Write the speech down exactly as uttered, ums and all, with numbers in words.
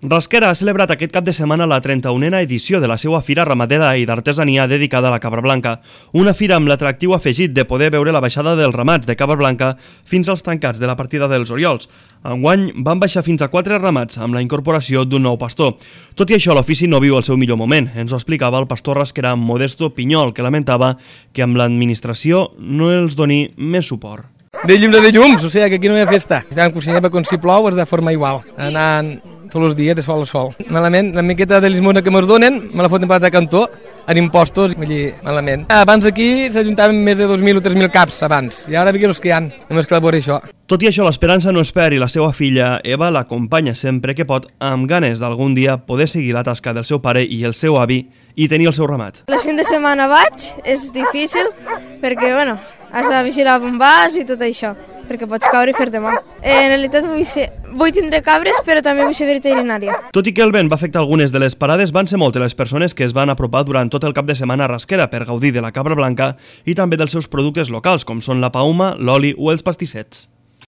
Rasquera ha celebrat aquest cap de setmana la trenta-unena edició de la seva fira ramadera i d'artesania dedicada a la cabra blanca, una fira amb l'atractiu afegit de poder veure la baixada dels ramats de cabra blanca fins als tancats de la partida dels Oriols. Enguany van baixar fins a quatre ramats amb la incorporació d'un nou pastor. Tot i això, l'ofici no viu el seu millor moment. Ens ho explicava el pastor rasquerà Modesto Pinyol, que lamentava que amb l'administració no els doni més suport. De llums a de llums, o sigui que aquí no hi ha festa. Estem cocinant perquè si plou és de forma igual, anant tots els dies de sol a sol. Malament, la miqueta de limosna que ens donen, me la foten per de cantó, en impostos, vull dir, malament. Abans aquí s'ajuntaven més de dos mil o tres mil caps, abans, i ara veiem els que hi ha, només que labora això. Tot i això, l'esperança no es perd i la seva filla, Eva, l'acompanya sempre que pot, amb ganes d'algun dia poder seguir la tasca del seu pare i el seu avi i tenir el seu ramat. Les fins de setmana vaig, és difícil, perquè, bueno, has de vigilar on vas i tot això, perquè pots caure i fer-te mal. En realitat vull, ser, vull tindre cabres, però també vull ser veterinària. Tot i que el vent va afectar algunes de les parades, van ser moltes les persones que es van apropar durant tot el cap de setmana a Rasquera per gaudir de la cabra blanca i també dels seus productes locals, com són la pauma, l'oli o els pastissets.